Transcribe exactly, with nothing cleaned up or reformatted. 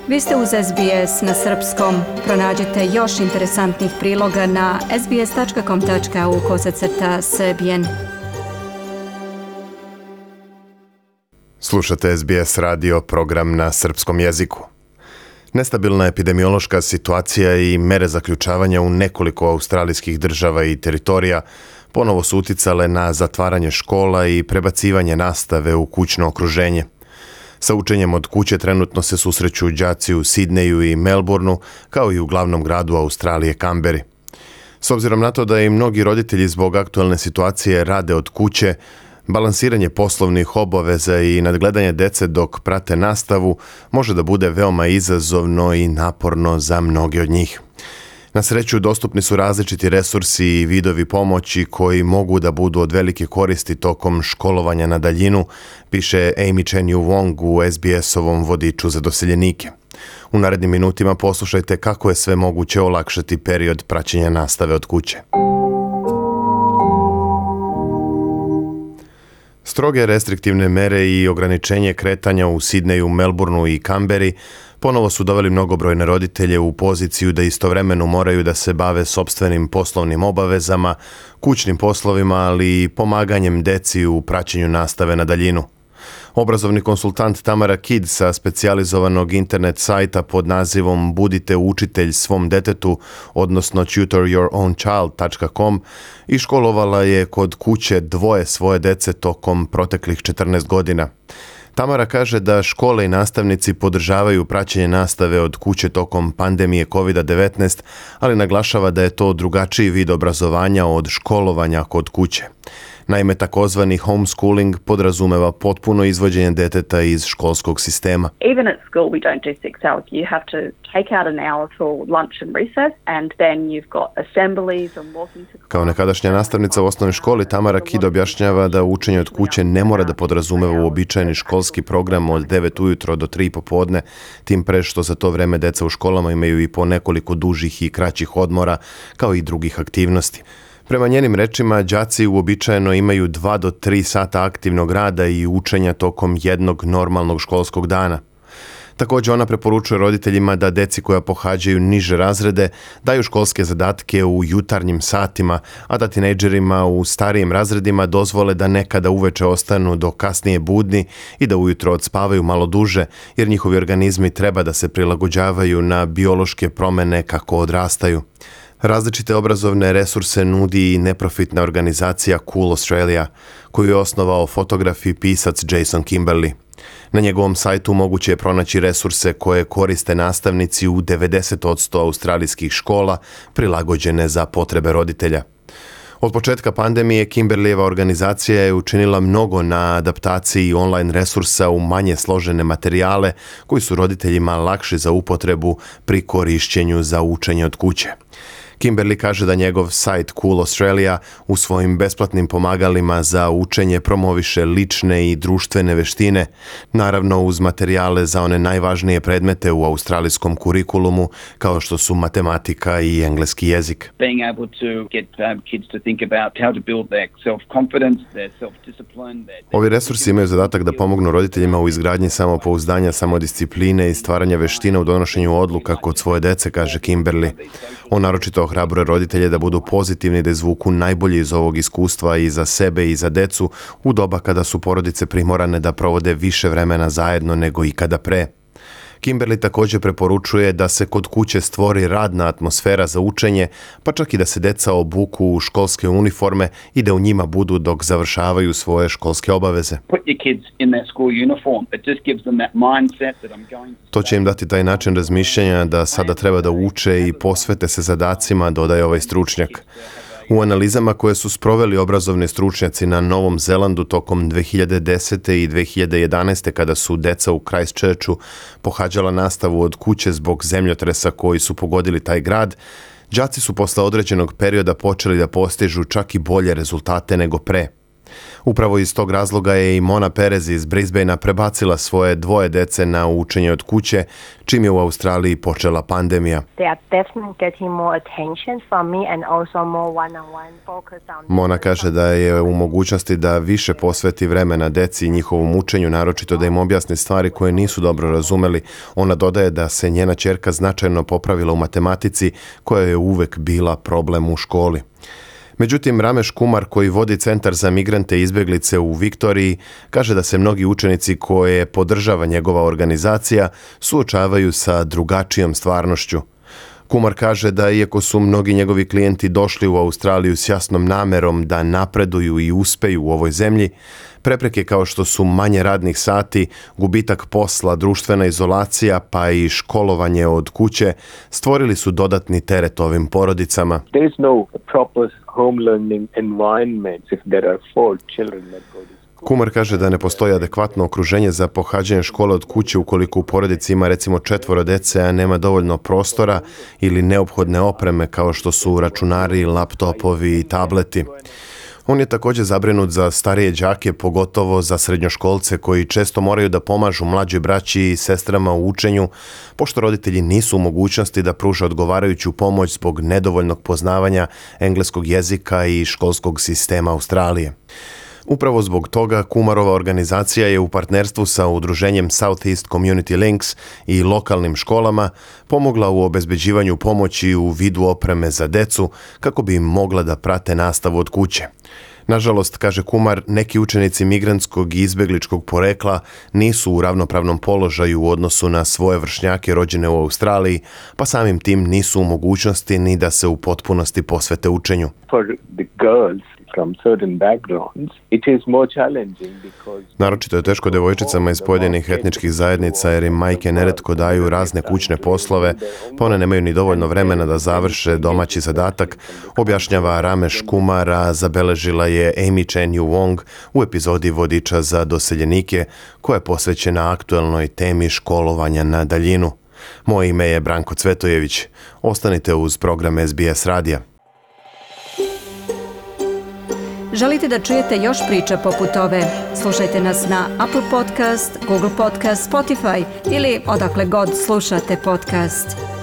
Vi ste uz S B S na srpskom. Pronađite još interesantnih priloga na sbs.com.au kosacrta srbijen. Slušate S B S radio, program na srpskom jeziku. Nestabilna epidemiološka situacija i mere zaključavanja u nekoliko australijskih država i teritorija ponovo su uticale na zatvaranje škola i prebacivanje nastave u kućno okruženje. Sa učenjem od kuće trenutno se susreću đaci u Sidneju i Melbourneu, kao i u glavnom gradu Australije, Kamberi. S obzirom na to da i mnogi roditelji zbog aktualne situacije rade od kuće, balansiranje poslovnih obaveza i nadgledanje dece dok prate nastavu može da bude veoma izazovno i naporno za mnoge od njih. Na sreću, dostupni su različiti resursi i vidovi pomoći koji mogu da budu od velike koristi tokom školovanja na daljinu, piše Amy Chen Yu Wong u S B S-ovom vodiču za doseljenike. U narednim minutima poslušajte kako je sve moguće olakšati period praćenja nastave od kuće. Stroge restriktivne mere i ograničenje kretanja u Sidneju, Melbourneu i Kamberi ponovo su doveli mnogobrojne roditelje u poziciju da istovremeno moraju da se bave sopstvenim poslovnim obavezama, kućnim poslovima, ali i pomaganjem deci u praćenju nastave na daljinu. Obrazovni konsultant Tamara Kidd sa specijalizovanog internet sajta pod nazivom Budite učitelj svom detetu, odnosno tutor your own child dot com, iškolovala je kod kuće dvoje svoje dece tokom proteklih četrnaest godina. Tamara kaže da škole i nastavnici podržavaju praćenje nastave od kuće tokom pandemije kovid devetnaest, ali naglašava da je to drugačiji vid obrazovanja od školovanja kod kuće. Naime, takozvani homeschooling podrazumeva potpuno izvođenje deteta iz školskog sistema. Even at school we don't do six hours. You have to take out an hour for lunch and recess and then you've got assemblies and walking to... Kao nekadašnja nastavnica u osnovnoj školi, Tamara Kidd objašnjava da učenje od kuće ne mora da podrazumeva uobičajeni školski program od devet ujutro do tri popodne, tim pre što za to vreme deca u školama imaju i po nekoliko dužih i kraćih odmora, kao i drugih aktivnosti. Prema njenim rečima, đaci uobičajeno imaju dva do tri sata aktivnog rada i učenja tokom jednog normalnog školskog dana. Također ona preporučuje roditeljima da deci koja pohađaju niže razrede daju školske zadatke u jutarnjim satima, a da tinejdžerima u starijim razredima dozvole da nekada uveče ostanu do kasnije budni i da ujutro odspavaju malo duže, jer njihovi organizmi treba da se prilagođavaju na biološke promene kako odrastaju. Različite obrazovne resurse nudi i neprofitna organizacija Cool Australia, koju je osnovao fotograf i pisac Jason Kimberley. Na njegovom sajtu moguće je pronaći resurse koje koriste nastavnici u devedeset posto australijskih škola, prilagođene za potrebe roditelja. Od početka pandemije Kimberleyeva organizacija je učinila mnogo na adaptaciji online resursa u manje složene materijale koji su roditeljima lakši za upotrebu pri korišćenju za učenje od kuće. Kimberley kaže da njegov sajt Cool Australia u svojim besplatnim pomagalima za učenje promoviše lične i društvene veštine, naravno uz materijale za one najvažnije predmete u australijskom kurikulumu, kao što su matematika i engleski jezik. Being able to get um, kids to think about how to build their self-confidence, their self-discipline. Their... Ovi resursi imaju zadatak da pomognu roditeljima u izgradnji samopouzdanja, samodiscipline i stvaranja veština u donošenju odluka kod svoje dece, kaže Kimberley. On naročito ohrabruje roditelje da budu pozitivni, da izvuku najbolje iz ovog iskustva i za sebe i za decu u doba kada su porodice primorane da provode više vremena zajedno nego ikada pre. Kimberley također preporučuje da se kod kuće stvori radna atmosfera za učenje, pa čak i da se deca obuku u školske uniforme i da u njima budu dok završavaju svoje školske obaveze. To će im dati taj način razmišljanja da sada treba da uče i posvete se zadacima, dodaje ovaj stručnjak. U analizama koje su sproveli obrazovni stručnjaci na Novom Zelandu tokom dve hiljade desete. i dve hiljade jedanaeste. kada su deca u Christchurchu pohađala nastavu od kuće zbog zemljotresa koji su pogodili taj grad, đaci su posle određenog perioda počeli da postižu čak i bolje rezultate nego pre. Upravo iz tog razloga je i Mona Perez iz Brisbanea prebacila svoje dvoje dece na učenje od kuće, čim je u Australiji počela pandemija. Mona kaže da je u mogućnosti da više posveti vremena deci i njihovom učenju, naročito da im objasni stvari koje nisu dobro razumeli. Ona dodaje da se njena ćerka značajno popravila u matematici, koja je uvek bila problem u školi. Međutim, Ramesh Kumar, koji vodi Centar za migrante i izbjeglice u Viktoriji, kaže da se mnogi učenici koje podržava njegova organizacija suočavaju sa drugačijom stvarnošću. Kumar kaže da iako su mnogi njegovi klijenti došli u Australiju s jasnom namerom da napreduju i uspeju u ovoj zemlji, prepreke kao što su manje radnih sati, gubitak posla, društvena izolacija pa i školovanje od kuće stvorili su dodatni teret ovim porodicama. There is no proper home learning environment if there are four children that go to school. Kumar kaže da ne postoji adekvatno okruženje za pohađanje škole od kuće ukoliko u porodici ima recimo četvoro dece, a nema dovoljno prostora ili neophodne opreme kao što su računari, laptopovi i tableti. On je također zabrinut za starije đake, pogotovo za srednjoškolce koji često moraju da pomažu mlađoj braći i sestrama u učenju, pošto roditelji nisu u mogućnosti da pruže odgovarajuću pomoć zbog nedovoljnog poznavanja engleskog jezika i školskog sistema Australije. Upravo zbog toga Kumarova organizacija je u partnerstvu sa udruženjem Southeast Community Links i lokalnim školama pomogla u obezbeđivanju pomoći u vidu opreme za decu kako bi im mogla da prate nastavu od kuće. Nažalost, kaže Kumar, neki učenici migrantskog i izbjegličkog porekla nisu u ravnopravnom položaju u odnosu na svoje vršnjake rođene u Australiji, pa samim tim nisu u mogućnosti ni da se u potpunosti posvete učenju. For the girls from certain backgrounds, it is more challenging because Naročito je teško devojčicama iz pojedinih etničkih zajednica jer im majke neretko daju razne kućne poslove, pa one nemaju ni dovoljno vremena da završe domaći zadatak, objašnjava Ramesh Kumar, a zabeležila je Amy Chen Yu Wong u epizodi Vodiča za doseljenike, koja je posvećena aktuelnoj temi školovanja na daljinu. Moje ime je Branko Cvetojević. Ostanite uz program S B S radija. Želite da čujete još priča poput ove? Slušajte nas na Apple Podcast, Google Podcast, Spotify ili odakle god slušate podcast.